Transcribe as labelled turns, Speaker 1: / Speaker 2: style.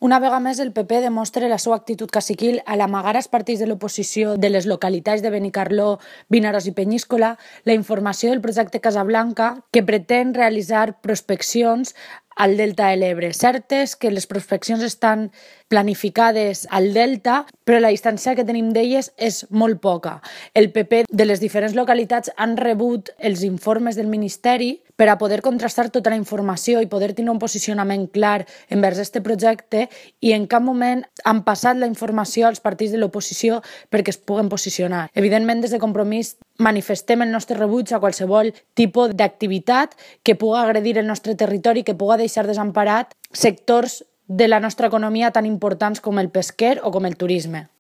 Speaker 1: Una vegada més, el PP demostra la seva actitud caciquil al amagar als partits de l'oposició de les localitats de Benicarló, Vinaròs i Penyíscola la informació del projecte Casablanca, que pretén realitzar prospeccions al Delta de l'Ebre. Cert és que les prospeccions estan planificades al Delta, però la distància que tenim d'elles és molt poca. El PP de les diferents localitats han rebut els informes del Ministeri per a poder contrastar tota la informació i poder tenir un posicionament clar envers aquest projecte, i en cap moment han passat la informació als partits de l'oposició perquè es puguen posicionar. Evidentment, des de Compromís manifestem el nostre rebuig a qualsevol tipus d'activitat que pugui agredir el nostre territori, que pugui deixar desemparat sectors de la nostra economia tan importants com el pesquer o com el turisme.